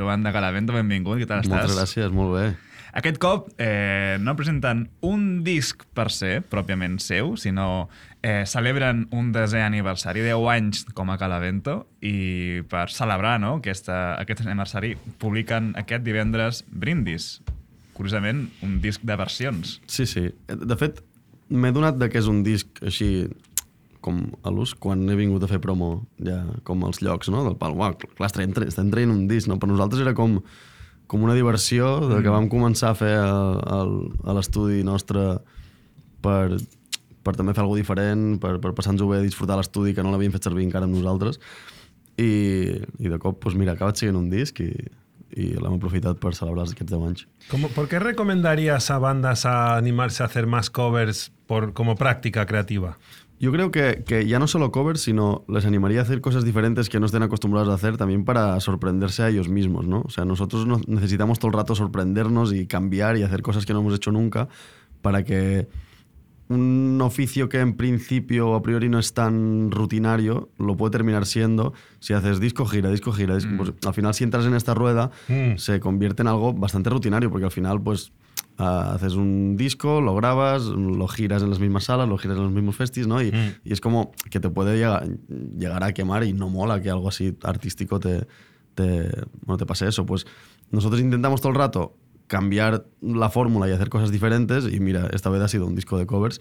Joan de Galavento, benvingut, què tal estàs? Moltes gràcies, molt bé. Aquest cop no presenten un disc per ser, pròpiament seu, sinó celebren un 10è aniversari, 10 anys com a Galavento, i per celebrar aquest aniversari publiquen aquest divendres Brindis. Curiosament, un disc de versions. Sí. De fet, m'he donat que és un disc així com a l'ús quan he vingut a fer promo ja com als llocs, no? Del pal, uau, clar, estem traient un disc, no? Per nosaltres era com una diversió de que vam començar a fer a l'estudi nostre per també fer alguna cosa diferent, per passar-nos-ho bé, disfrutar l'estudi que no l'havíem fet servir encara amb nosaltres i de cop, doncs mira, ha acabat sent un disc y l'hem aprofitat per celebrar aquests 10 anys. ¿Por qué recomendarías a bandas a animarse a hacer más covers como práctica creativa? Yo creo que ya no solo covers, sino les animaría a hacer cosas diferentes que no estén acostumbrados a hacer también para sorprenderse a ellos mismos, ¿no? O sea, nosotros necesitamos todo el rato sorprendernos y cambiar y hacer cosas que no hemos hecho nunca para que un oficio que en principio a priori no es tan rutinario lo puede terminar siendo si haces disco, gira. Pues, al final, si entras en esta rueda, se convierte en algo bastante rutinario, porque al final, pues, haces un disco, lo grabas, lo giras en las mismas salas, lo giras en los mismos festis, ¿no? Y es como que te puede llegar a quemar y no mola que algo así artístico te pase eso. Pues nosotros intentamos todo el rato cambiar la fórmula y hacer cosas diferentes y mira, esta vez ha sido un disco de covers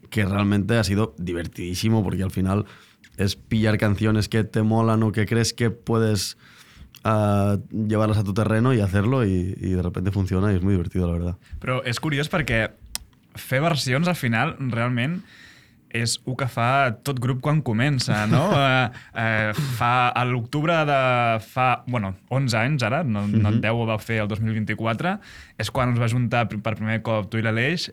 que realmente ha sido divertidísimo porque al final es pillar canciones que te molan o que crees que puedes llevarlas a tu terreno y hacerlo y de repente funciona y es muy divertido, la verdad. Però és curiós perquè fer versions al final realment és el que fa tot grup quan comença, no? A l'octubre de fa 11 anys ara, no 10 ho vau fer el 2024, és quan us va juntar per primer cop tu i l'Aleix,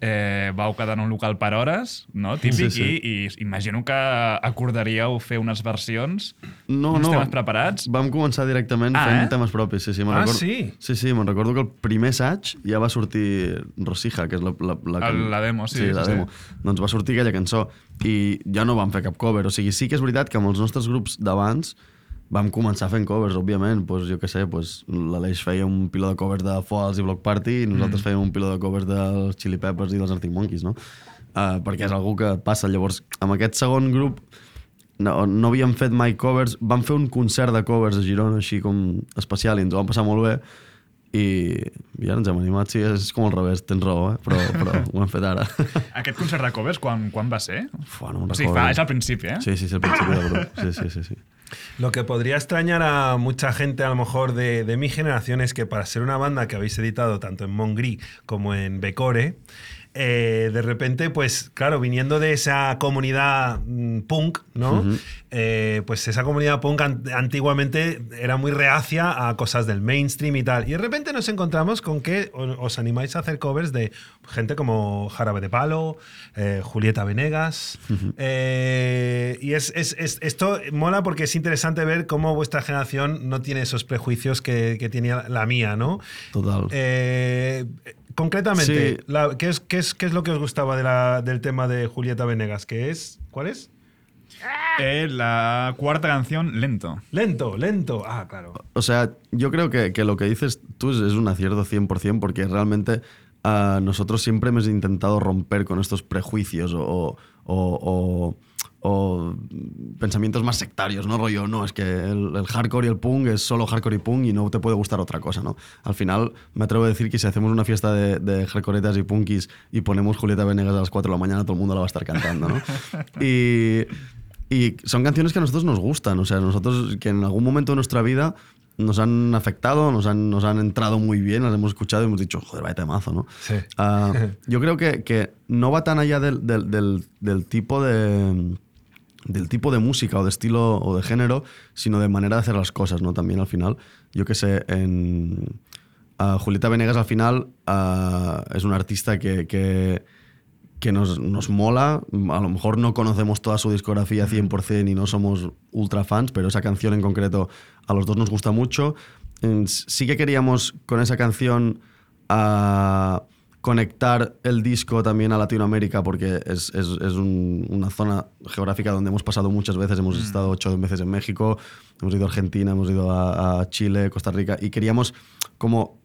vau quedar en un local per hores, no? Típic, sí. I imagino que acordaríeu fer unes versions, uns temes preparats. Vam començar directament fent temes propis, sí. Sí? Sí, me'n recordo que el primer assaig ja va sortir Rosija, que és la demo, sí. La demo. Doncs va sortir aquella cançó i ja no vam fer cap cover, o sigui, sí que és veritat que amb els nostres grups d'abans vam començar fent covers, òbviament, pues, jo què sé, pues, l'Aleix feia un piló de covers de Foals i Block Party i nosaltres fèiem un piló de covers dels Chili Peppers i dels Arctic Monkeys, no? Perquè és algú que passa. Llavors, amb aquest segon grup no havíem fet mai covers, vam fer un concert de covers a Girona així com especial i ens ho vam passar molt bé i ja ens hem animat, sí, és com al revés, tens raó, però ho hem fet ara. Aquest concert de covers, quan va ser? No me'n recordo. O sigui, és al principi, ¿eh? Sí, és al principi del grup, sí. Lo que podría extrañar a mucha gente, a lo mejor de mi generación, es que para ser una banda que habéis editado tanto en Mongri como en Becore, de repente, pues claro, viniendo de esa comunidad punk, ¿no? Pues esa comunidad punk antiguamente era muy reacia a cosas del mainstream y tal. Y de repente nos encontramos con que os animáis a hacer covers de gente como Jarabe de Palo, Julieta Venegas. Y esto mola porque es interesante ver cómo vuestra generación no tiene esos prejuicios que tenía la mía, ¿no? Total. Concretamente, sí. ¿qué es lo que os gustaba del tema de Julieta Venegas? ¿Cuál es? La cuarta canción, Lento. Lento. Ah, claro. O sea, yo creo que lo que dices tú es un acierto 100% porque realmente nosotros siempre hemos intentado romper con estos prejuicios o pensamientos más sectarios, ¿no? Rollo, no, es que el hardcore y el punk es solo hardcore y punk y no te puede gustar otra cosa, ¿no? Al final, me atrevo a decir que si hacemos una fiesta de hardcoretas y punkis y ponemos Julieta Venegas a las 4 de la mañana, todo el mundo la va a estar cantando, ¿no? Y son canciones que a nosotros nos gustan, o sea, nosotros que en algún momento de nuestra vida nos han afectado, nos han entrado muy bien, las hemos escuchado y hemos dicho, joder, vaya temazo, ¿no? Sí. Yo creo que no va tan allá del tipo de música o de estilo o de género, sino de manera de hacer las cosas, ¿no? También al final, yo que sé, Julieta Venegas al final es una artista que nos mola. A lo mejor no conocemos toda su discografía 100% y no somos ultra fans, pero esa canción en concreto a los dos nos gusta mucho. Sí que queríamos con esa canción conectar el disco también a Latinoamérica, porque es una zona geográfica donde hemos pasado muchas veces, hemos estado 8 veces en México, hemos ido a Argentina, hemos ido a Chile, Costa Rica, y queríamos como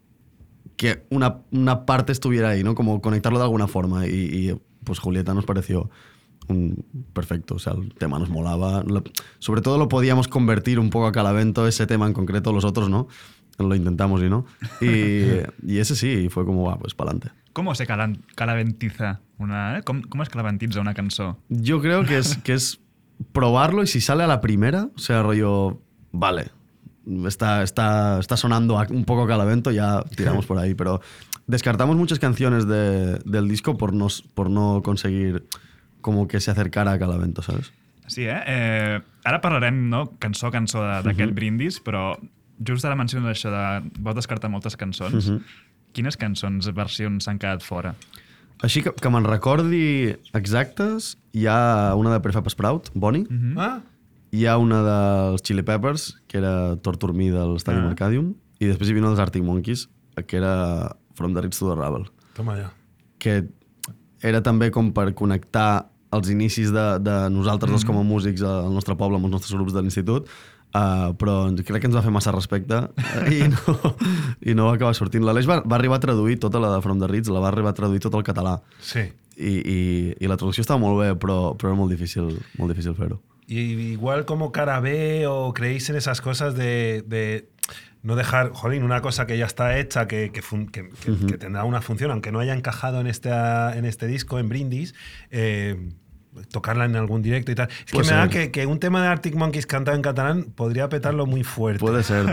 que una parte estuviera ahí, ¿no? Como conectarlo de alguna forma, y pues Julieta nos pareció perfecto, o sea, el tema nos molaba, sobre todo lo podíamos convertir un poco a Calavento, ese tema en concreto, los otros no, lo intentamos y no, y ese sí, fue como, pues pa'lante. ¿Cómo se calaventiza ¿Cómo es calaventitza una cançó? Yo creo que es probarlo y si sale a la primera, o sea, rollo, vale, está sonando un poco Calavento, ya tiramos por ahí, pero descartamos muchas canciones del disco por no conseguir como que se acercara a Calavento, ¿sabes? Sí, ara parlarem, no?, cançó a cançó d'aquest brindis, però just ara menciones això de vau descartar moltes cançons. Quines cançons, versions s'han quedat fora? Així que me'n recordi exactes, hi ha una de Prefab Sprout, Bonnie, hi ha una dels Chili Peppers, que era Torture Me del Stadium Arcadium, i després hi havia una dels Arctic Monkeys, que era From the Ridge to the Rubble. Toma ja. Que era també com per connectar els inicis de nosaltres dos com a músics al nostre poble, amb els nostres grups de l'institut, però crec que ens va fer massa respecte i no va acabar sortint. L'Aleix va arribar a traduir tota la de From the Ridge, la va arribar a traduir tot al català. Sí. I la traducció estava molt bé, però era molt difícil fer-ho. Y igual como cara B o creéis en esas cosas de no dejar, jolín, una cosa que ya está hecha, que tendrá una función, aunque no haya encajado en este disco, en Brindis, tocarla en algún directo y tal. Es que me da que un tema de Arctic Monkeys cantado en catalán podría petarlo muy fuerte. Puede ser.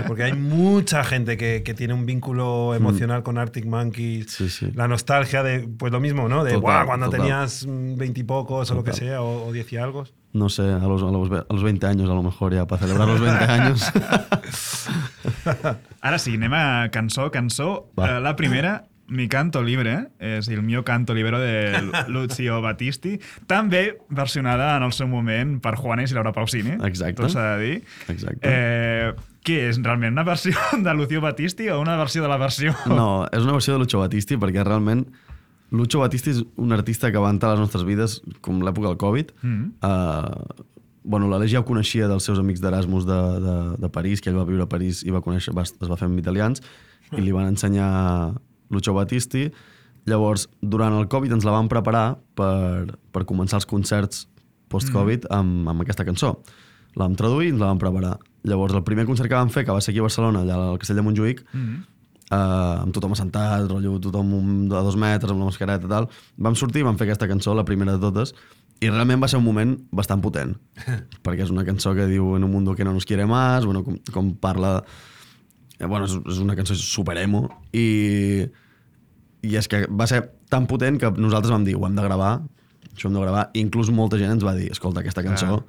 Porque hay mucha gente que tiene un vínculo emocional con Arctic Monkeys. Sí. La nostalgia de, pues lo mismo, ¿no? De cuando tenías 20 y pocos o lo que sea, o 10 y algo. No sé, a los 20 años a lo mejor ya, para celebrar los 20 años. Ara sí, anem a cançó. La primera, Mi canto libre, és el mio canto libero de Lucio Battisti, també versionada en el seu moment per Juanes i Laura Pausini. Exacte. Tot s'ha de dir. Exacte. Què és, realment una versió de Lucio Battisti o una versió de la versió? No, és una versió de Lucio Battisti perquè realment Lucio Battisti és un artista que va entrar a les nostres vides com l'època del Covid. L'Aleix ja ho coneixia dels seus amics d'Erasmus de París, que ell va viure a París i es va fer amb italians, i li van ensenyar Lucio Battisti. Llavors, durant el Covid ens la vam preparar per començar els concerts post-Covid amb aquesta cançó. La vam traduir i ens la vam preparar. Llavors, el primer concert que vam fer, que va ser aquí a Barcelona, allà al Castell de Montjuïc, amb tothom assentat, rotllo, tothom a 2 metres, amb la mascareta i tal, vam sortir i vam fer aquesta cançó, la primera de totes, i realment va ser un moment bastant potent, perquè és una cançó que diu en un mundo que no nos quiere más, com parla... és una cançó superemo i és que va ser tan potent que nosaltres vam dir, ho hem de gravar, això ho hem de gravar, i inclús molta gent ens va dir, escolta, aquesta cançó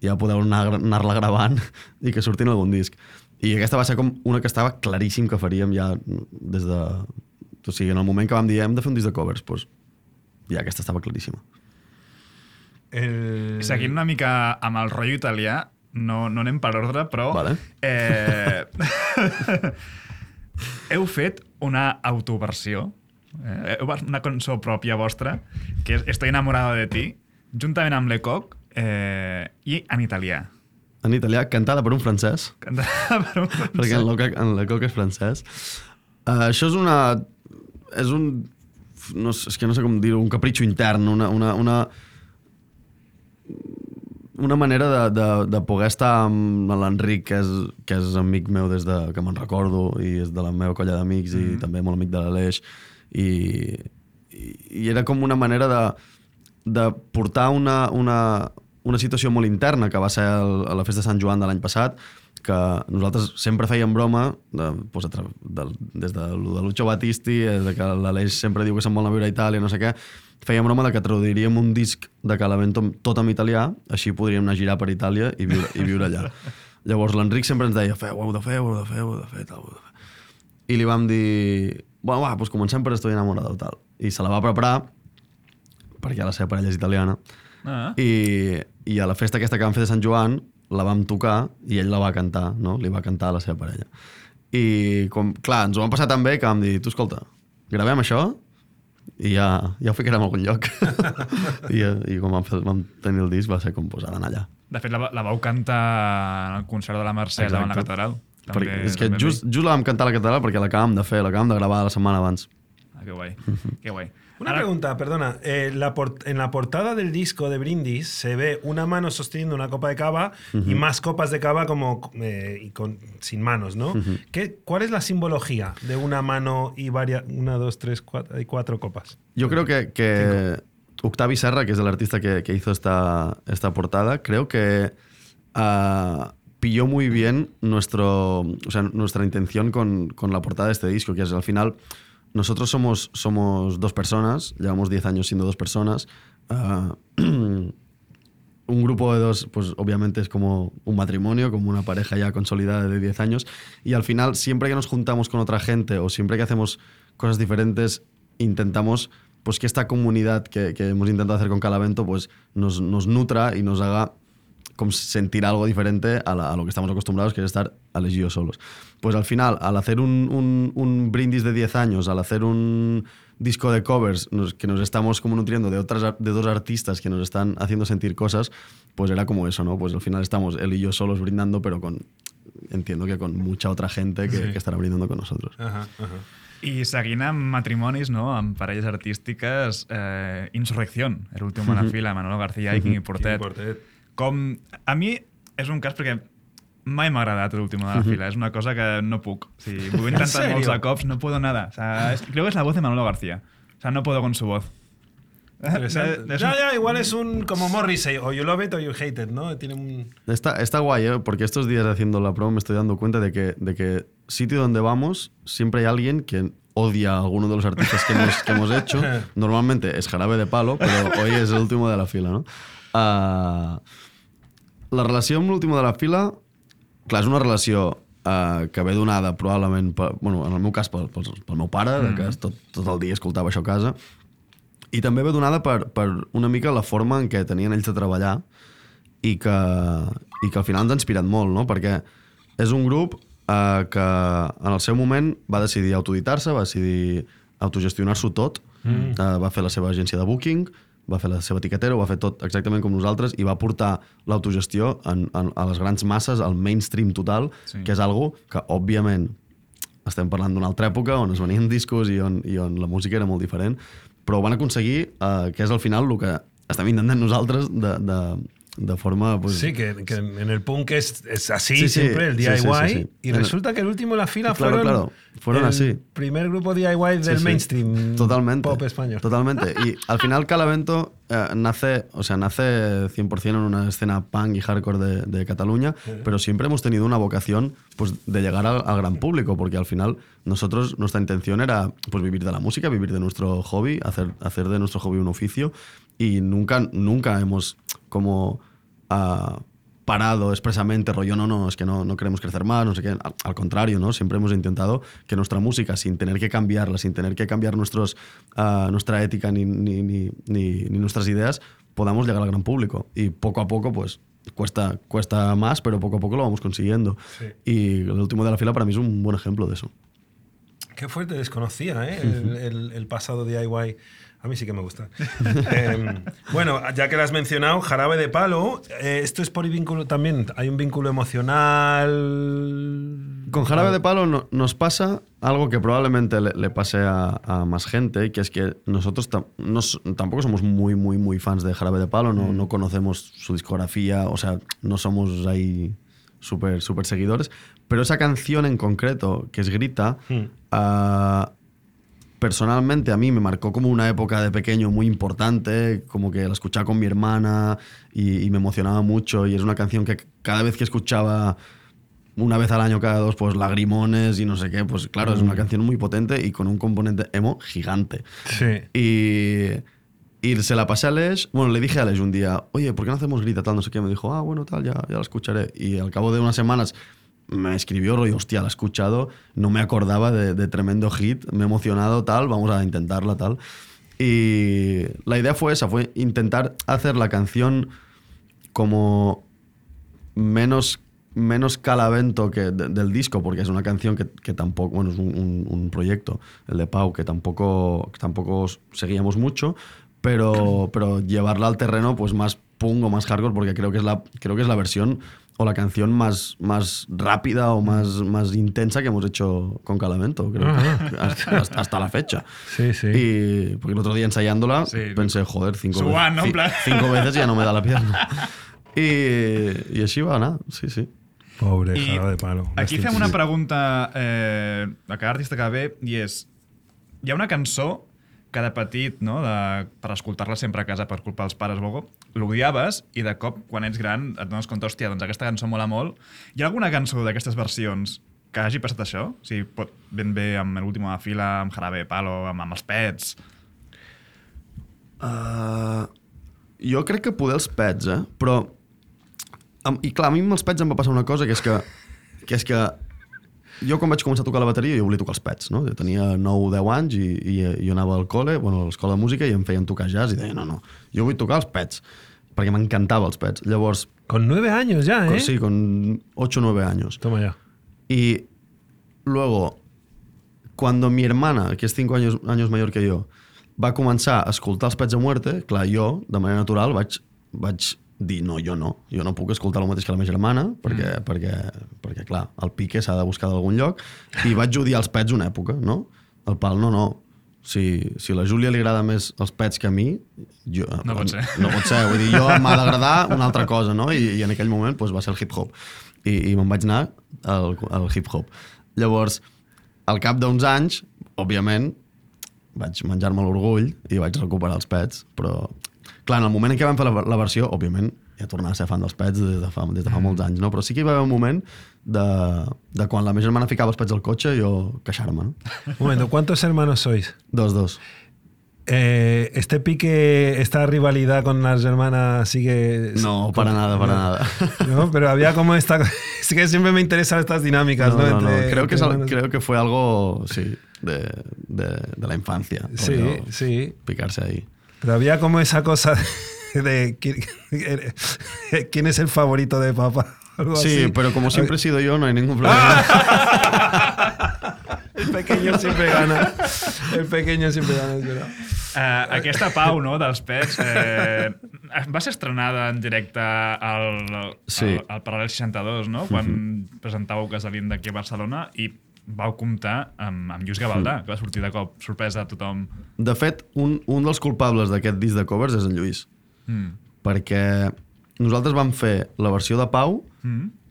ja podeu anar-la gravant i que surti en algun disc. I aquesta va ser com una que estava claríssim que faríem ja des de... O sigui, en el moment que vam dir hem de fer un disc de covers, doncs ja aquesta estava claríssima. Seguint una mica amb el rotllo italià, no anem per ordre, però... Vale. Heu fet una autoversió, una cançó pròpia vostra, que és Estoy enamorado de ti, juntament amb Lecoq, i en italià. En italià, cantada per un francès. Cantada per un francès. Perquè en Lecoq és francès. Això és una... És que no sé com dir-ho, un capritxo intern, una manera de poder estar amb l'Enric, que és amic meu des que me'n recordo i és de la meva colla d'amics i també molt amic de l'Aleix, i era com una manera de portar una situació molt interna que va ser a la festa de Sant Joan de l'any passat, que nosaltres sempre fèiem broma des de Lucio Battisti, des que l'Aleix sempre diu que se'n vol anar a viure a Itàlia, no sé què, fèiem broma que traduiríem un disc de Calavento tot en italià, així podríem anar a girar per Itàlia i viure allà. Llavors l'Enric sempre ens deia, ho heu de fer. I li vam dir, doncs comencem per Estoy enamorado, tal. I se la va preparar, perquè la seva parella és italiana, i a la festa aquesta que vam fer de Sant Joan la vam tocar i ell la va cantar, no? Li va cantar a la seva parella. I, clar, ens ho vam passar tan bé que vam dir, tu, escolta, gravem això I ja ho ficarem a algun lloc. I com vam tenir el disc va ser com posar d'anar allà. De fet, la vau cantar en el concert de la Mercè davant la catedral. Perquè, és que just la vam cantar a la catedral perquè l'acabàvem de fer, l'acabàvem de gravar la setmana abans. Que guai, que guai. Una pregunta, perdona. En la portada del disco de Brindis se ve una mano sosteniendo una copa de cava y más copas de cava sin manos, ¿no? ¿Cuál es la simbología de una mano y una, dos, tres, cuatro copas? Yo creo que Octavi Serra, que es el artista que hizo esta portada, creo que pilló muy bien nuestra intención con la portada de este disco, que es al final... Nosotros somos dos personas, llevamos 10 años siendo dos personas. Un grupo de dos, pues obviamente es como un matrimonio, como una pareja ya consolidada de 10 años. Y al final, siempre que nos juntamos con otra gente o siempre que hacemos cosas diferentes, intentamos pues, que esta comunidad que hemos intentado hacer con Calavento pues, nos nutra y nos haga como sentir algo diferente a lo que estamos acostumbrados, que es estar Alex y yo solos. Pues al final, al hacer un brindis de 10 años, al hacer un disco de covers que nos estamos como nutriendo de dos artistas que nos están haciendo sentir cosas, pues era como eso, ¿no? Pues al final estamos él y yo solos brindando, pero entiendo que con mucha otra gente que estarà brindando con nosotros. I seguint amb matrimonis, no? Amb parelles artístiques, Insurrección, el últim a la fila, Manolo García i Quimi Portet. A mi és un cas perquè mai m'ha agradat l'últim de la fila. És una cosa que no puc. O sigui, ho he intentat molts de cops, no puedo nada. O sea, creo que es la voz de Manolo García. O sea, no puedo con su voz. Ya, igual es como Morrissey, o you love it o you hate it, ¿no? Tiene Está guay, ¿eh? Porque estos días haciendo la promo me estoy dando cuenta de que sitio donde vamos siempre hay alguien que odia a alguno de los artistas que hemos hecho. Normalmente es Jarabe de Palo, pero hoy es el último de la fila, ¿no? La relació amb l'últim de la fila, clar, és una relació que ve donada probablement, bueno, en el meu cas pel meu pare, que tot el dia escoltava això a casa, i també ve donada per una mica la forma en què tenien ells de treballar i que al final ens ha inspirat molt, no? Perquè és un grup que en el seu moment va decidir autoeditar-se, va decidir autogestionar-s'ho tot, va fer la seva agència de booking, va fer la seva etiquetera, ho va fer tot exactament com nosaltres i va portar l'autogestió a les grans masses, al mainstream total, que és algo que, òbviament, estem parlant d'una altra època on es venien discos i on la música era molt diferent, però ho van aconseguir, que és al final el que estem intentant nosaltres de forma... Pues, sí, que en el punk es así siempre, el DIY, sí. Y resulta que el último en la fila fueron así. Primer grupo DIY del mainstream pop español. Totalmente. Y al final Calavento nace 100% en una escena punk y hardcore de Cataluña, pero siempre hemos tenido una vocación pues, de llegar al gran público, porque al final nuestra intención era pues, vivir de la música, vivir de nuestro hobby, hacer de nuestro hobby un oficio, y nunca hemos como parado expresamente, rollo, no, es que no queremos crecer más, no sé qué. Al contrario, ¿no? Siempre hemos intentado que nuestra música, sin tener que cambiarla, sin tener que cambiar nuestra ética ni nuestras ideas, podamos llegar al gran público. Y poco a poco, pues, cuesta más, pero poco a poco lo vamos consiguiendo. Sí. Y el último de la fila para mí es un buen ejemplo de eso. Qué fuerte, desconocía, ¿eh? el pasado DIY. A mí sí que me gusta. Bueno, ya que lo has mencionado, Jarabe de Palo, esto es por vínculo también. ¿Hay un vínculo emocional? Con Jarabe de Palo nos algo que probablemente le pase a más gente, que es que nosotros tampoco somos muy, muy, muy fans de Jarabe de Palo, no conocemos su discografía, o sea, no somos ahí súper seguidores, pero esa canción en concreto, que es Grita, personalmente a mí me marcó como una época de pequeño muy importante, como que la escuchaba con mi hermana y me emocionaba mucho, y es una canción que cada vez que escuchaba una vez al año, cada dos, pues lagrimones y no sé qué, pues claro, es una canción muy potente y con un componente emo gigante. Sí. Y se la pasé a Aleix, bueno, le dije a Aleix un día, oye, ¿por qué no hacemos Grita tal? No sé qué, me dijo, bueno, tal, ya la escucharé. Y al cabo de unas semanas me escribió, rollo, hostia, la he escuchado, no me acordaba de tremendo hit, me he emocionado, tal, vamos a intentarla, tal. Y la idea fue esa, fue intentar hacer la canción como menos menos calavento que del disco, porque es una canción que tampoco, bueno, es un proyecto, el de Pau, que tampoco seguíamos mucho, pero llevarla al terreno pues más punk o más hardcore, porque creo que es la versión o la canción más rápida o más intensa que hemos hecho con Calamento, creo, hasta la fecha. Sí. Y porque el otro día ensayándola pensé, joder, 5 veces ya no me da la pierna. I així va anar, sí. Pobre Jarabe de Palo. Aquí fem una pregunta a cada artista que ve, i és, hi ha una cançó que de petit, no, per escoltar-la sempre a casa per culpa dels pares, Bogo, l'odiaves i de cop, quan ets gran, et dones compte, hòstia, doncs aquesta cançó mola molt. Hi ha alguna cançó d'aquestes versions que hagi passat això? O sigui, pot ben bé amb l'última fila, amb Jarabe de Palo, amb els Pets... Jo crec que poder els Pets, però... I clar, a mi amb els Pets em va passar una cosa, que és que jo quan vaig començar a tocar la bateria jo volia tocar els Pets, no? Jo tenia 9-10 anys i jo anava al col·le, a l'escola de música, i em feien tocar jazz i deia, no, jo vull tocar els Pets, perquè m'encantava els Pets. Llavors... Con 9 años ya, ¿eh? Sí, con 8 o 9 años. Toma ya. Y luego, cuando mi hermana, que es 5 años mayor que jo, va començar a escoltar els Pets a Muerte, clar, jo, de manera natural, vaig dir, no, jo no puc escoltar el mateix que la meva germana, perquè clar, el pique s'ha de buscar d'algun lloc, i vaig odiar els Pets una època, no? El Pal, no. Si a la Júlia li agrada més els Pets que a mi, no pot ser. No pot ser, vull dir, jo m'ha d'agradar una altra cosa, no? I en aquell moment doncs, va ser el hip-hop. I me'n vaig anar al hip-hop. Llavors, al cap d'uns anys, òbviament, vaig menjar-me l'orgull i vaig recuperar els Pets, però... Clar, en el moment en què vam fer la versió, òbviament, ja tornava a ser fan dels Pets des de fa molts anys, no? Però sí que hi va haver un moment de quan la meva germana ficava els Pets al cotxe, jo queixar-me, no? Un momento, ¿cuántos hermanos sois? Dos. ¿Este pique, esta rivalidad con las hermanas sigue...? No, para nada. No, pero había como esta... Sí que siempre me interesan estas dinámicas, ¿no? No. Creo que fue algo, sí, de la infancia. Sí. Picarse ahí. Pero había como esa cosa de quién es el favorito de papá. Algo sí, así. pero como siempre he sido yo, no hay ningún problema. El pequeño siempre gana. Es verdad. Aquesta Pau, no, dels Pets, va ser estrenada en directe al Paral·lel 62, no? Quan presentàveu Casalín d'aquí a Barcelona, i vau comptar amb Lluís Gavaldà, que va sortir de cop sorpresa a tothom. De fet, un dels culpables d'aquest disc de covers és en Lluís. Perquè nosaltres vam fer la versió de Pau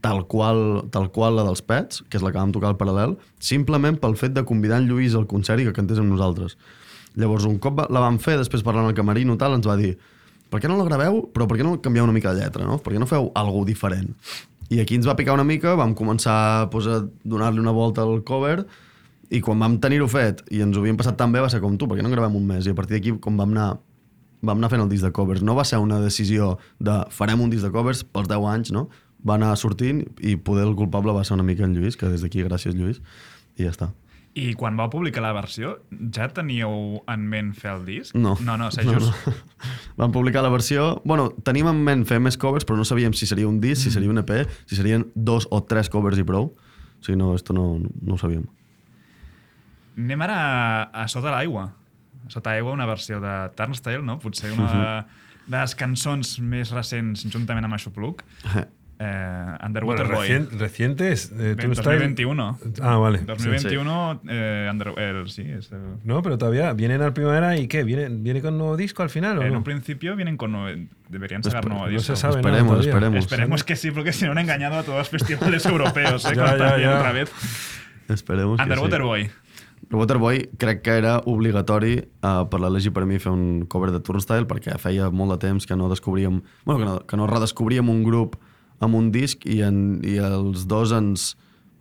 tal qual la dels Pets, que és la que vam tocar al Paral·lel, simplement pel fet de convidar en Lluís al concert i que cantés amb nosaltres. Llavors, un cop la vam fer, després parlant al camerino tal, ens va dir, per què no la graveu, però per què no canvieu una mica de lletra, no? Per què no feu alguna diferent? I aquí ens va picar una mica, vam començar a donar-li una volta al cover, i quan vam tenir-ho fet i ens ho havíem passat tan bé, va ser com tu, per què no gravem un mes? I a partir d'aquí, com vam anar fent el disc de covers. No va ser una decisió de farem un disc de covers pels 10 anys, no? Va anar sortint i poder el culpable va ser una mica en Lluís, que des d'aquí, gràcies Lluís, i ja està. I quan vau publicar la versió, ja teníeu en ment fer el disc? No. No, sé just. No. Vam publicar la versió... Bueno, teníem en ment fer més covers, però no sabíem si seria un disc, si seria un EP, si serien 2 o 3 covers i prou. O sigui, no, esto no ho sabíem. Anem ara a Sota l'aigua. Sota l'aigua, una versió de Turnstile, no? Potser una de les cançons més recents, juntament amb Aixopluc. Underwater Boy. Recientes. 2021. Ah, vale. 2021, sí. No, pero todavía vienen al primavera y ¿qué? ¿Viene con nuevo disco al final o en no? un principio vienen con deberían sacar nuevo disco. No se sabe esperemos. Esperemos que sí, porque si no han engañado a todos los festivales europeos, ya. Otra vez. Esperemos que Underwater sí. Boy. Underwater Boy crec que era obligatori per la Legi per mi fer un cover de Turnstile, perquè feia molt de temps que no descobríem... Bueno, que no redescobríem un grup amb un disc i els dos ens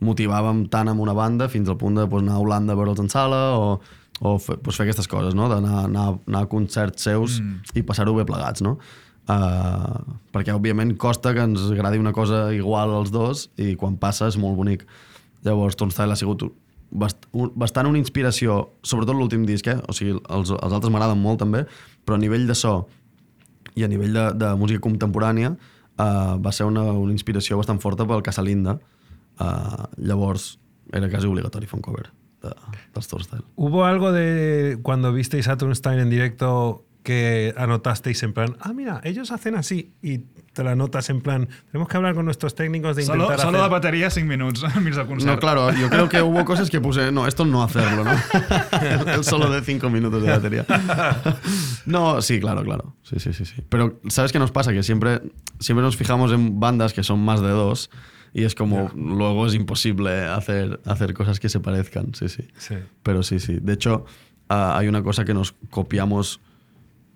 motivàvem tant amb una banda fins al punt de anar a Holanda a veure'ls en sala o fer aquestes coses, no? D'anar a concerts seus i passar-ho bé plegats, no? Perquè òbviament costa que ens agradi una cosa igual als dos i quan passa és molt bonic. Llavors Turnstile ha sigut bastant una inspiració, sobretot l'últim disc, o sigui, els altres m'agraden molt també, però a nivell de so i a nivell de música contemporània va ser una inspiració bastant forta pel Casalinda. Llavors era quasi obligatori fer un cover dels Turnstile. ¿Hubo algo de cuando visteis a Turnstile en directo que anotasteis en plan, mira, ellos hacen así, y te la notas en plan, tenemos que hablar con nuestros técnicos de intentar Solo hacer... de batería 5 minutos al mig del concert. No, claro, yo creo que hubo cosas que puse, no, esto no hacerlo, ¿no? El solo de 5 minutos de batería. No, sí, claro. Sí. Pero ¿sabes qué nos pasa? Que siempre nos fijamos en bandas que son más de 2 y es como, luego es imposible hacer cosas que se parezcan, sí. Pero sí. De hecho, hay una cosa que nos copiamos,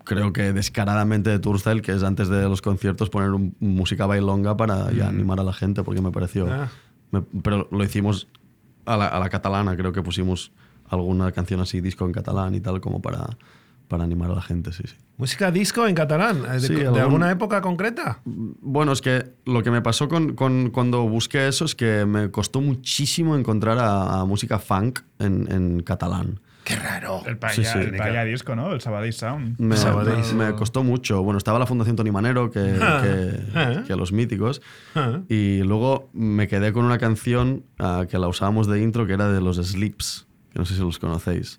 creo que descaradamente, de Turnstile, que es antes de los conciertos poner música bailonga para ya animar a la gente, porque me pareció... pero lo hicimos a la catalana, creo que pusimos alguna canción así, disco en catalán y tal, como para animar a la gente, sí. ¿Música disco en catalán? ¿De alguna época concreta? Bueno, es que lo que me pasó cuando busqué eso es que me costó muchísimo encontrar a música funk en catalán. ¡Qué raro! El Paella Disco, ¿no? El Sabadell Sound. Me costó mucho. Bueno, estaba la Fundación Toni Manero, que los míticos. Y luego me quedé con una canción que la usábamos de intro, que era de los Slips, que no sé si los conocéis.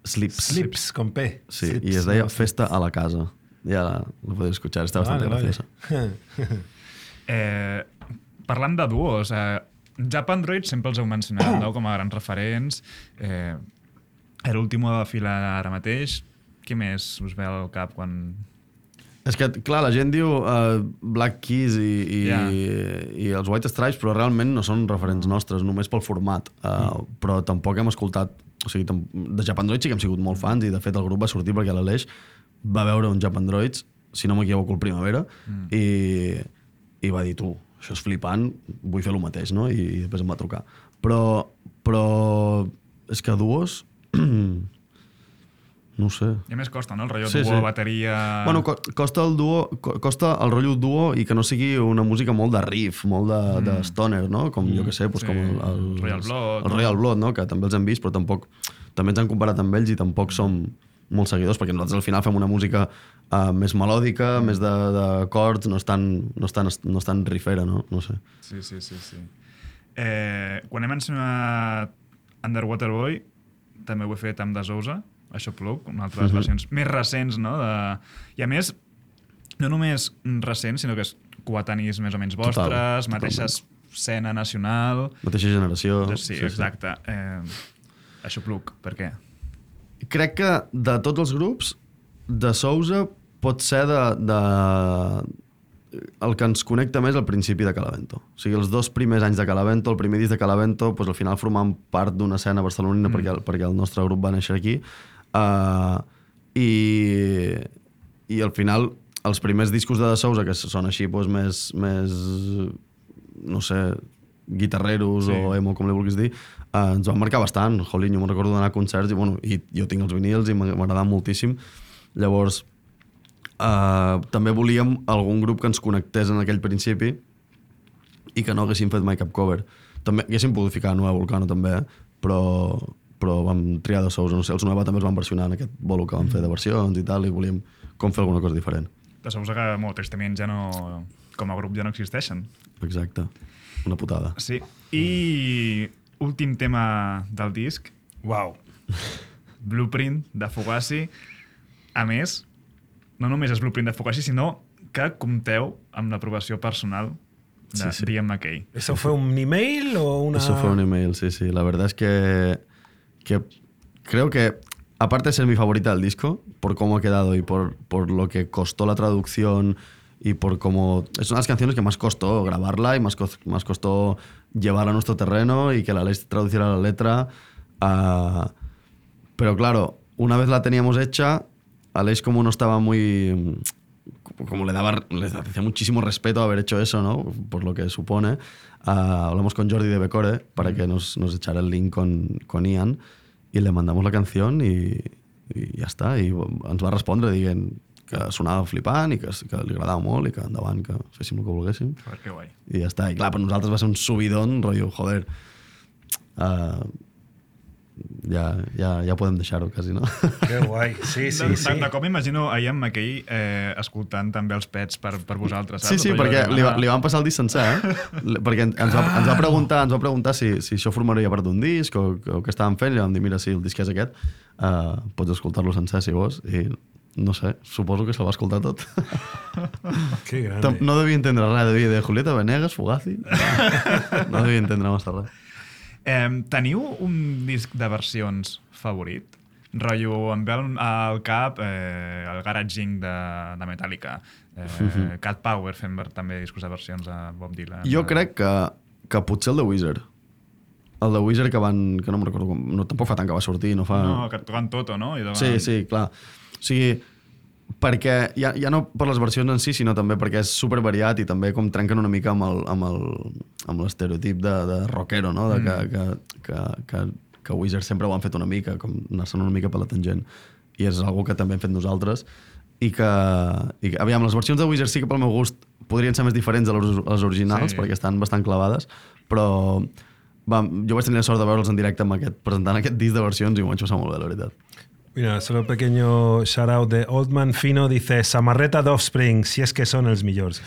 Slips, con P. Sí, Slips, y es de Festa a la casa. Ya lo podéis escuchar, está bastante graciosa. Parlant de duos, Japan Droid sempre els heu mencionat, no?, com a grans referents. L'últim de fila ara mateix. Què més us ve al cap quan... És que, clar, la gent diu Black Keys i els White Stripes, però realment no són referents nostres, només pel format. Però tampoc hem escoltat... O sigui, de Japan Droids sí que hem sigut molt fans, i de fet el grup va sortir perquè l'Aleix va veure un Japan Droids, si no m'equivoco, el Primavera, i va dir, tu, això és flipant, vull fer el mateix, no? I després em va trucar. Però és que duos... No ho sé. I a més costa, no? El rotllo duo, bateria... Bueno, costa el rotllo duo i que no sigui una música molt de riff, molt de stoner, no? Com, jo què sé, com el Royal Blood, no? Que també els hem vist, però també ens han comparat amb ells i tampoc som molt seguidors, perquè nosaltres al final fem una música més melòdica, més de chords, no és tan riffera, no? No sé. Sí. Quan he mencionat Underwater Boy, també ho he fet amb The Sousa, això Plug, una altra de les versions més recents, no? I a més, no només recents, sinó que és coetanis més o menys vostres, mateixa escena nacional... Mateixa generació. Sí, exacte. Això Plug, per què? Crec que de tots els grups, de Sousa pot ser el que ens connecta més al principi de Calavento. O sigui, els 2 primers anys de Calavento, el primer disc de Calavento, doncs al final formàvem part d'una escena barcelonina perquè el nostre grup va néixer aquí. I al final els primers discos de Sousa, que són així doncs, més no sé, guitarreros o emo, com li vulguis dir, ens van marcar bastant. Jolín, jo me'n recordo d'anar a concerts i jo tinc els vinils i m'agradaven moltíssim. Llavors també volíem algun grup que ens connectés en aquell principi i que no haguéssim fet mai cap cover. També haguéssim pogut ficar Nueva Volcano també, però vam triar de Sousa. No sé, els Nueva també els van versionar en aquest bolo que vam fer de versions i tal, i volíem com fer alguna cosa diferent. De Sousa que molt tristament ja no, com a grup ja no existeixen. Exacte, una putada. Sí, i últim tema del disc. Wow. Blueprint de Fugazi. A més, no només és Blueprint de Fugazi, sinó que compteu amb l'aprovació personal de Liam McKay. ¿Eso fue un email o una...? Eso fue un email, sí. La verdad es que creo que, aparte de ser mi favorita del disco, por cómo ha quedado y por lo que costó la traducción y por cómo... Es una de las canciones que más costó grabarla y más costó llevarla a nuestro terreno y que la Aleix traduciera la letra. Pero claro, una vez la teníamos hecha, Aleix como no estaba muy... Como le hacía muchísimo respeto haber hecho eso, ¿no? Por lo que supone. Hablamos con Jordi de Becore para que nos echara el link con Ian y le mandamos la canción y ja està. I ens va respondre dient que sonava flipant i que li agradava molt i que endavant, que féssim el que volguéssim. Que guai. I ja està. I clar, per nosaltres va ser un subidón, rotllo, joder, ja podem deixar-ho quasi, no? Que guai, sí. De cop m'imagino a Ian McKay escoltant també els Pets per vosaltres, saps? Sí, perquè li van passar el disc sencer, perquè ens va preguntar si això formaria part d'un disc o què estàvem fent, i vam dir, mira, sí, el disc és aquest, pots escoltar-lo sencer si vols, i no sé, suposo que se'l va escoltar tot. Que grande. No devia entendre res, devia dir Julieta Venegas, Fugazi, no devia entendre massa res. Teniu un disc de versions favorit? Rotllo, em ve al cap el Garage Inc. de Metallica, Cat Power fent també discos de versions de Bob Dylan. Jo crec que potser el de Wizard. El de Wizard que no me'n recordo com... No, tampoc fa tant que va sortir, no fa... No, que tocant Toto, no? Sí, clar. O sigui, perquè ja no per les versions en si, sinó també perquè és super variat i també com trenquen una mica amb l'estereotip de rockero, no? Que Wizard sempre ho han fet una mica, com anar-se'n una mica per la tangent. I és algo que també hem fet nosaltres. I aviam, les versions de Wizard sí que pel meu gust podrien ser més diferents de les originals, perquè estan bastant clavades, però jo vaig tenir la sort de veure'ls en directe presentant aquest disc de versions i m'ho vaig passar molt bé, la veritat. Mira, solo pequeño shout out de Oldman Fino, dice Samarreta de Offspring, si es que son els millors.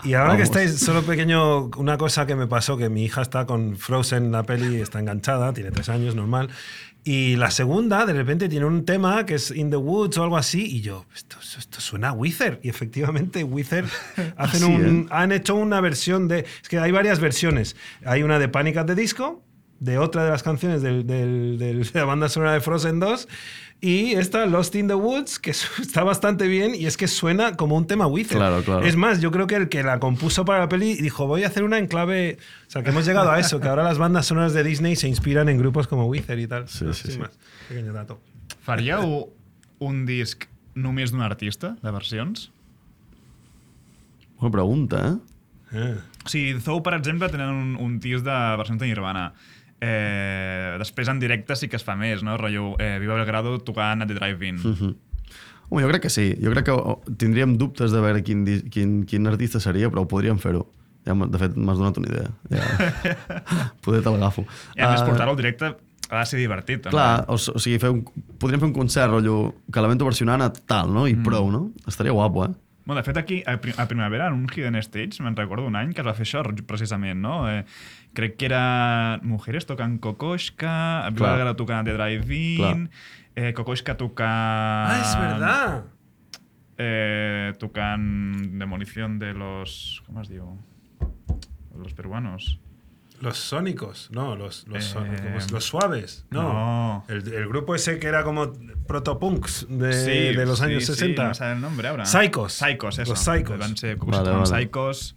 Y ahora que estáis, solo pequeño, una cosa que me pasó, que mi hija está con Frozen, la peli, está enganchada, tiene 3 años, normal, y la segunda, de repente, tiene un tema que es In the Woods o algo así, y yo, esto suena a Weezer, y efectivamente Weezer han hecho una versión de... Es que hay varias versiones, hay una de Panic at the Disco, de otra de las canciones de la banda sonora de Frozen 2, y esta Lost in the Woods, que está bastante bien, y es que suena como un tema Weezer. Claro. Es más, yo creo que el que la compuso para la peli dijo, voy a hacer una en clave... O sea, que hemos llegado a eso, que ahora las bandas sonoras de Disney se inspiran en grupos como Weezer y tal. Sí. Más. Pequeño dato. Faríeu un disc només d'un artista, de versions? Bona pregunta, O sigui, Zou, per exemple, tenen un disc de versions de Nirvana. Després en directe sí que es fa més, no? Rotllo Viva Belgrado tocant a The Drive-In. Home, jo crec que sí. Jo crec que tindríem dubtes de veure quin artista seria, però ho podríem fer-ho. Ja, de fet, m'has donat una idea. Ja. Poder te l'agafo. I a més, portar-ho al directe ha de ser divertit. També. Clar, o sigui, podríem fer un concert, rotllo, que l'evento versionant a tal, no? I prou, no? Estaria guapo, Bueno, de fet, aquí, a Primavera, en un Hidden Stage, me'n recordo un any que es va fer això, precisament, no? Crec que era Mujeres tocant Kokoschka, Viva Belgrado tocant The Drive-In, Kokoschka tocant... Ah, és verdad! Tocant Demolición de los... ¿Cómo es diu? Los peruanos. Los sónicos, no, los suaves, no. El grupo ese que era como protopunks de los años 60. Sí, no sabe el nombre ahora. Psychos, eso. Los Psychos. Van ser Psychos.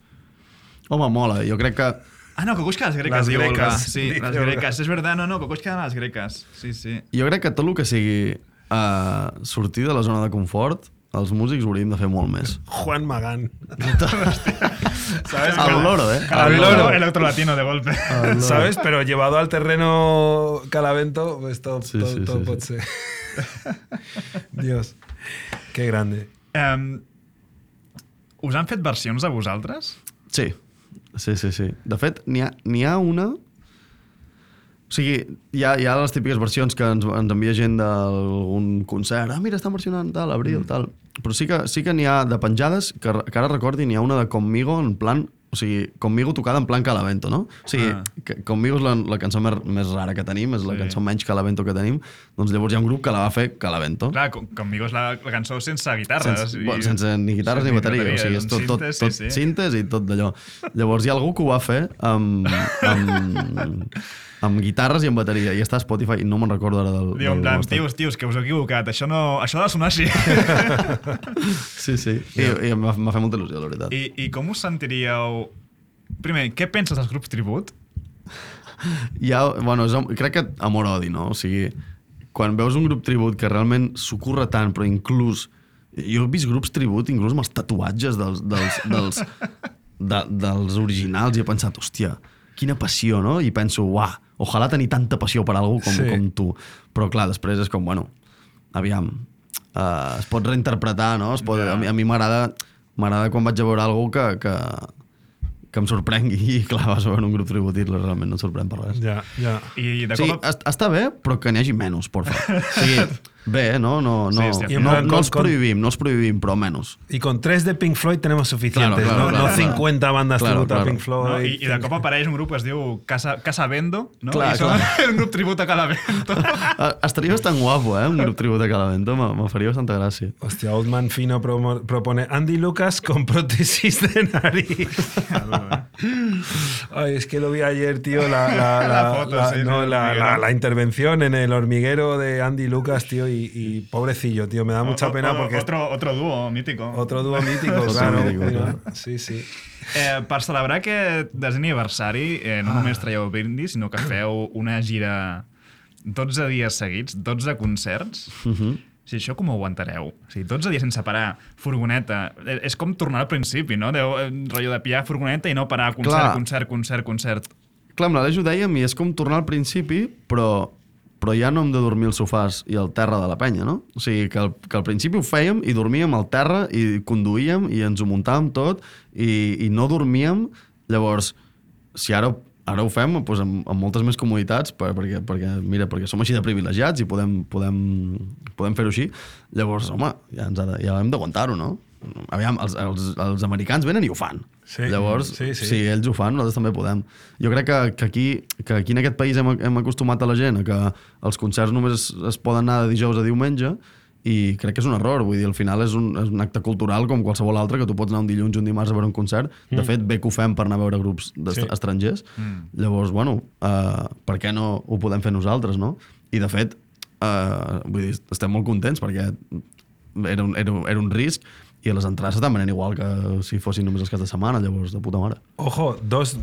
Home, mola, jo crec que... Ah, no, Kokoschka a les greques, diu Olga. Sí, les greques, és verdad, no, Kokoschka a les greques. Sí. Jo crec que tot el que sigui sortir de la zona de confort, els músics ho hauríem de fer molt més. Juan Magán. ¿Sabes? Al loro, Al loro. El otro latino de golpe. ¿Sabes? Pero llevado al terreno Calavento, pues todo puede ser. Dios, qué grande. Us han fet versions a vosaltres? Sí. De fet, n'hi ha una... O sigui, hi ha les típiques versions que ens envia gent d'algun concert. Mira, estan versionant tal, Abril, tal. Però sí que n'hi ha de penjades, que ara recordi, n'hi ha una de Conmigo en plan... O sigui, Conmigo tocada en plan Calavento, no? O sigui, Conmigo és la cançó més rara que tenim, és la cançó menys Calavento que tenim, doncs llavors hi ha un grup que la va fer Calavento. Clar, Conmigo és la cançó sense guitarres. Sense ni guitarres ni bateria, o sigui, és tot cintes i tot d'allò. Llavors hi ha algú que ho va fer amb guitarres i amb bateria, i està a Spotify, i no me'n recordo ara del... Diu, en plan, tios, que us heu equivocat, això ha de sonar així. Sí, i m'ha fet molta il·lusió, la veritat. I com us sentiríeu... Primer, què penses dels grups tribut? Crec que amor-odi, no? O sigui, quan veus un grup tribut que realment s'ho tant, però inclús... Jo he vist grups tribut, inclús amb els tatuatges dels originals, i he pensat, hòstia, quina passió, no? I penso, uah, ojalà tenir tanta passió per algú com tu. Però clar, després és com, bueno, aviam, es pot reinterpretar, no? A mi m'agrada quan vaig a veure algú em sorprengui. I clar, vas veure un grup tribut i realment no et sorprèn per res. Ja. I de Sí, cop... està bé, però que n'hi hagi menys, porfa. O sigui, bé, no els prohibim, però menys. Y con 3 de Pink Floyd tenemos suficientes, claro, no 50 bandas tributo a Pink No? Floyd. I de cop apareix un grup que es diu Casa Vendo, no? Clar, I són un grup tribut a Calavento. Estaria bastant guapo, un grup tribut a Calavento, me faria bastanta gràcia. Hostia, Oldman Fino propone Andy Lucas con prótesis de nariz. Ay, es que lo vi ayer, tío, la intervención en el hormiguero de Andy Lucas, tío, y pobrecillo, tío, me da mucha pena porque... Otro dúo mítico. Otro dúo mítico, Otro claro. mítico, claro. Sí, sí. Per celebrar aquest desè aniversari, no només traieu brindis, sinó que feu una gira 12 dies seguits, 12 concerts. Si això com ho aguantareu? O sigui, 12 dies sense parar, furgoneta. És com tornar al principi, no? Rotllo de pillar furgoneta i no parar, concert. Clar, amb l'Aleix ho dèiem i és com tornar al principi, però ja no hem de dormir als sofàs i al terra de la penya, no? O sigui, que al principi ho fèiem i dormíem al terra i conduïem i ens ho muntàvem tot i no dormíem. Llavors, si ara ho fem doncs amb moltes més comoditats perquè som així de privilegiats i podem fer-ho així. Llavors, home, ja hem d'aguantar-ho, no? Aviam, els americans venen i ho fan. Sí, llavors, sí. si ells ho fan, nosaltres també podem. Jo crec que aquí en aquest país hem acostumat a la gent a que els concerts només es poden anar de dijous a diumenge i crec que és un error. Vull dir, al final és un acte cultural com qualsevol altre, que tu pots anar un dilluns o un dimarts a veure un concert. De fet, bé que ho fem per anar a veure grups estrangers. Llavors, bueno, per què no ho podem fer nosaltres, no? I de fet, vull dir, estem molt contents perquè era un risc i les entrades estan venent igual que si fossin només els caps de setmana, llavors de puta mare. Ojo, dos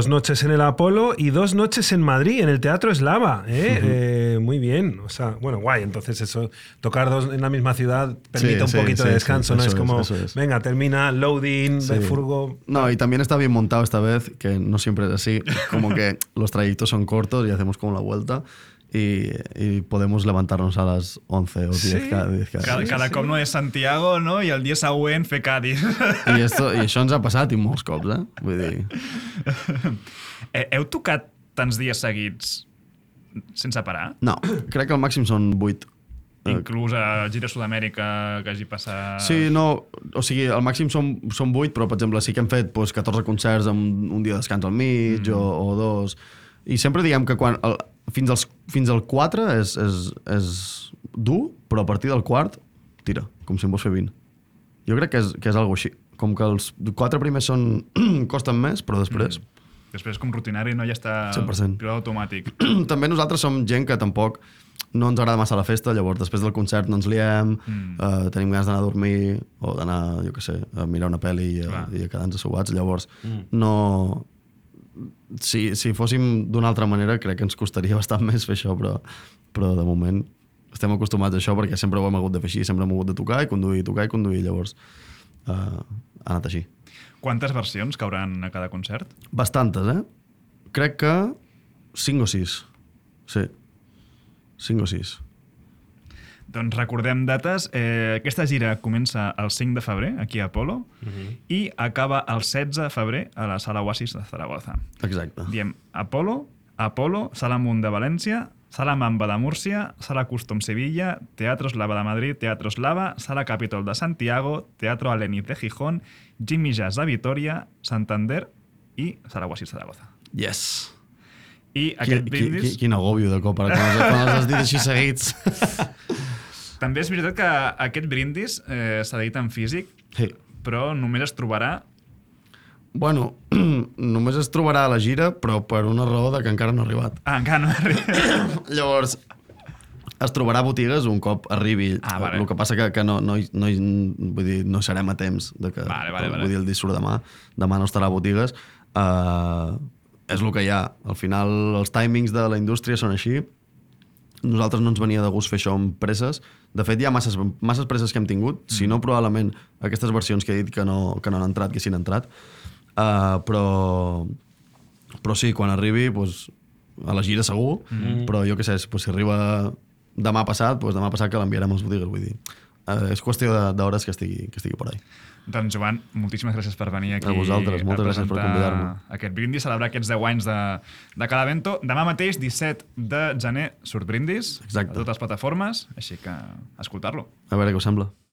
noches en el Apolo y 2 noches en Madrid, en el Teatro Eslava. Muy bien. O sea, bueno, guay. Entonces eso, tocar 2 en la misma ciudad permite un poquito de descanso, ¿no? Es como, venga, termina, loading, furgo... No, y también está bien montado esta vez, que no siempre es así. Como que los trayectos son cortos y hacemos como la vuelta. Y podemos levantarnos a las 11 o 10 cada cop no és Santiago, no? I el dia següent fer Cádiz. I això ens ha passat i molts cops, Vull dir... Heu tocat tants dies seguits sense parar? No, crec que el màxim són 8. Inclús a Gira Sud-amèrica que hagi passat... Sí, no, o sigui, el màxim són 8, però, per exemple, sí que hem fet 14 concerts amb un dia de descans al mig o 2. I sempre diguem que fins al 4 és dur, però a partir del quart, tira, com si en vols fer 20. Jo crec que és algo així. Com que els 4 primers costen més, però després... Després com rutinari, no? Ja està 100%. pilot automàtic. També nosaltres som gent que tampoc no ens agrada massa la festa, llavors després del concert no ens liem, tenim ganes d'anar a dormir o d'anar, jo què sé, a mirar una pel·li i a quedar-nos assobats. Llavors, no... Si fóssim d'una altra manera, crec que ens costaria bastant més fer això, però de moment estem acostumats a això perquè sempre ho hem hagut de fer així, sempre hem hagut de tocar i conduir, llavors ha anat així. Quantes versions cauran a cada concert? Bastantes, Crec que 5 o 6. Sí, 5 o 6. Doncs recordem dates. Aquesta gira comença el 5 de febrer, aquí a Apolo, i acaba el 16 de febrer a la Sala Oasis de Zaragoza. Exacte. Diem Apolo, Sala Munt de València, Sala Mamba de Múrcia, Sala Custom Sevilla, Teatro Eslava de Madrid, Teatro Eslava, Sala Capitol de Santiago, Teatro Aléniz de Gijón, Jimmy Jazz de Vitoria, Santander i Sala Oasis de Zaragoza. Yes. I aquest brindis... Quin agòbio de cop, quan els has dit així seguits. També és veritat que aquest brindis s'ha dit en físic, però només es trobarà... Bueno, només es trobarà a la gira, però per una raó de que encara no ha arribat. Encara no ha arribat. Llavors, es trobarà a botigues un cop arribi. Vale. El que passa que vull dir, no serem a temps de que, vale. Vull dir, el disc surt demà. Demà no estarà a botigues. És el que hi ha. Al final, els timings de la indústria són així. Nosaltres no ens venia de gust fer això amb presses. De fet, hi ha masses presses que hem tingut, si no probablement aquestes versions que he dit que no han entrat, que sí han entrat. Però sí, quan arribi, a la gira segur, però jo què sé, si arriba demà passat que l'enviarem als botigues. Vull dir, és qüestió d'hores que estigui por ahí. Doncs, Joan, moltíssimes gràcies per venir aquí A vosaltres, moltes gràcies per convidar-me. Aquest brindis, celebrar aquests 10 anys de Calavento. Demà mateix, 17 de gener, surt brindis. Exacte. A totes les plataformes, així que escoltar-lo. A veure què us sembla.